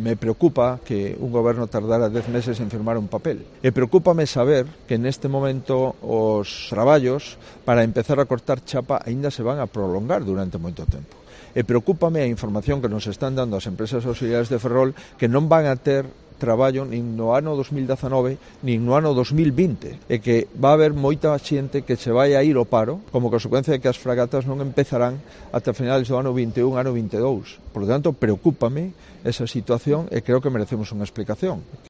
Me preocupa que un goberno tardara 10 meses en firmar un papel. E preocúpame saber que neste momento os traballos para empezar a cortar chapa aínda se van a prolongar durante moito tempo. E preocúpame a información que nos están dando as empresas auxiliares de Ferrol que non van a ter traballo nin no ano 2019 nin no ano 2020 e que va a haber moita xente que se vai a ir ao paro como consecuencia de que as fragatas non empezarán ata finales do ano 21, ano 22. Por lo tanto, preocúpame esa situación e creo que merecemos unha explicación.